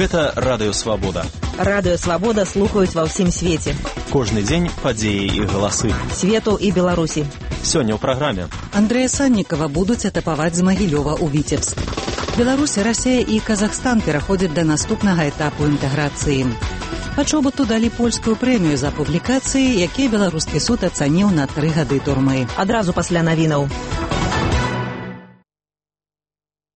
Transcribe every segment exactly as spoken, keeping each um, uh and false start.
Гэта Радыё Свабода. Радыё Свабода слухаюць ва ўсім свеце. Кожны дзень падзеі і галасы. Свету і Беларусі. Сёння ў праграме. Андрэя Саннікава будуць атапаваць з Магілёва ў Віцебск. Беларусь, Расія і Казахстан пераходзяць да наступнага этапу інтэграцыі. Пачобуту далі польскую прэмію за публікацыі, якія беларускі суд ацаніў на тры гады турмы. Адразу пасля навінаў.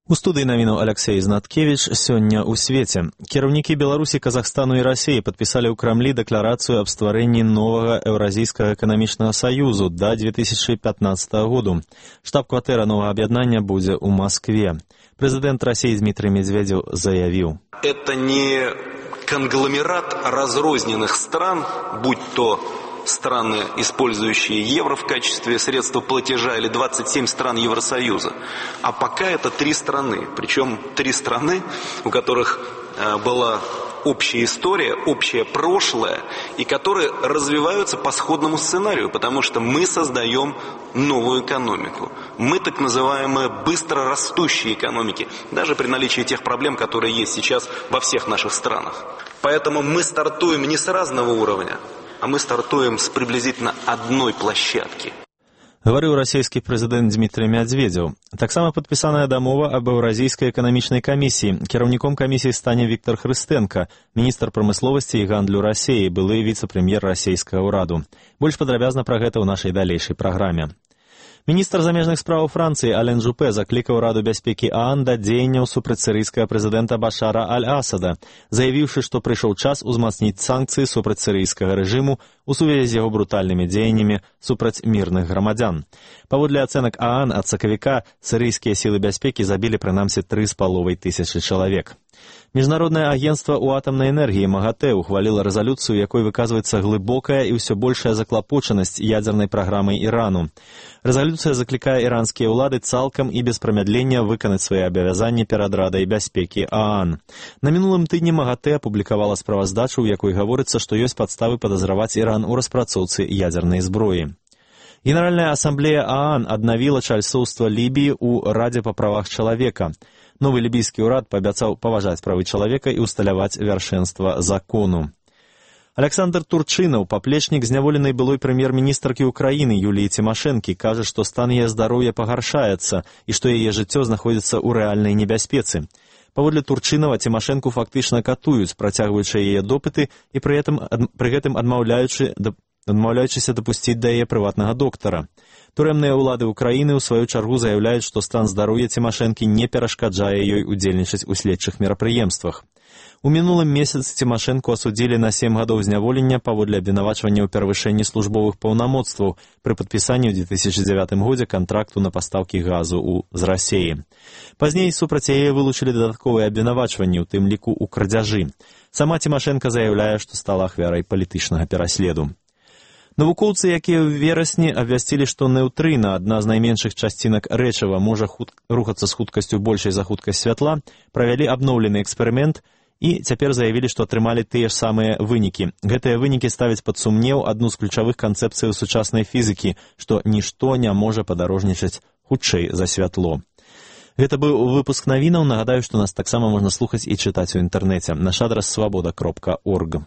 У студыі навінаў Алексей Знаткевич. Сёння ў свеце. Кіраўнікі Беларусі, Казахстану і Расіі падпісалі ў Крамлі дэкларацыю аб стварэнні новага Еўразійскага эканамічнага саюзу да две тысячы пятнадцатага году. Штаб-кватэра новага аб'яднання будзе ў Маскве. Прэзідэнт Расіі Дмітрий Медведев заявіў: «Это не конгломерат разрозненных стран, будь то страны, использующие евро в качестве средства платежа, или двадцать семь стран Евросоюза. А пока это три страны. Причем три страны, у которых э, была общая история, общее прошлое, и которые развиваются по сходному сценарию, потому что мы создаем новую экономику. Мы так называемые быстро растущие экономики, даже при наличии тех проблем, которые есть сейчас во всех наших странах. Поэтому мы стартуем не с разного уровня, а мы стартуем с приблизительно одной площадки. Гаварыў расійскі прэзідэнт Дмітрий Медведев. Таксама падпісаная дамова аб Еўразійскай эканамічнай камісіі. Кіраўніком камісіі стане Віктор Хрыстэнка, міністр прамысловасці і гандлю Расіі, былы віцэ-прэм'ер расійскага ўраду. Больш падрабязна пра гэта ў нашай далейшай праграме. Міністр замежных справаў Францыі Ален Жупе заклікаў Раду бяспекі ААН да дзеянняў супраць сірыйскага прэзідэнта Башара Аль-Асада, заявіўшы, што прыйшоў час узмацніць санкцыі супраць сірыйскага рэжыму у сувязі з яго брутальнымі дзеяннямі супраць мірных грамадзян. Паводле ацэнак ААН ад сакавіка сірыйскія сілы бяспекі забілі прынамсі тры з паловай тысячы чалавек. Міжнароднае агенцтва ў атамнай энергіі МАГАТЭ ухваліла рэзалюцыю, якой выказваецца глыбокая і ўсё большая заклапочанасць ядзернай праграмай Ірану. Рэзалюцыя заклікае іранскія ўлады цалкам і без прамядлення выканаць свае абавязанні перад Радай бяспекі ААН. На мінулым тыдні МАГАТЭ апублікавала справаздачу, у якой гаворыцца, што ёсць падставы падазраваць Іран у распрацоўцы ядзернай зброі. Генеральная асамблея ААН аднавіла чальцоўства Лібіі ў Радзе па правах чалавека. Новы лібійскі ўрад паабяцаў паважаць правы чалавека і ўсталяваць вяршэнства закону. Александр Турчынаў, паплечнік зняволенай былой прэм'ер-міністркі ўкраіны Юліі Цімашэнкі, кажа, што стан яе здароўя пагаршаецца і што яе жыццё знаходзіцца ў рэальнай небяспецы. Паводле Турчынава, Цімашэнку фактычна катуюць, працягваючы яе допыты і пры гэтым, пры гэтым адмаўляючы, адмаўляючыся дапусціць да яе прыватнага доктара. Турэмныя ўлады ўкраіны ў сваю чаргу заяўляюць, што стан здароўя Цімашэнкі не перашкаджае ёй удзельнічаць у следчых мерапрыемствах. У мінулым месяцы Цімашэнку асудзілі на сем гадоў зняволення паводле абвінавачвання ў перавышэнні службовых паўнамоцтваў пры падпісанні ў две тысячы дзявятым годзе кантракту на пастаўкі газу ў, з Расіі. Пазней супраць яе вылучылі дадатковыя абвінавачванні, у тым ліку ў крадзяжы. Сама Цімашэнка заяўляе, што стала ахвярай палітычнага пераследу. Навукоўцы, якія ў верасні абвясцілі, што неўтрына, адна з найменшых часцінак рэчыва, можа худ... рухацца з хуткасцю большай за хуткасць святла, правялі абноўлены эксперымент і цяпер заявілі, што атрымалі тыя ж самыя вынікі. Гэтыя вынікі ставяць пад сумнеў адну з ключавых канцэпцыяў сучаснай фізікі, што нішто не можа падарожнічаць хутчэй за святло. Гэта быў выпуск навінаў. Нагадаю, што нас таксама можна слухаць і чытаць у інтэрнэце. Наш адрас свабода кропка орг.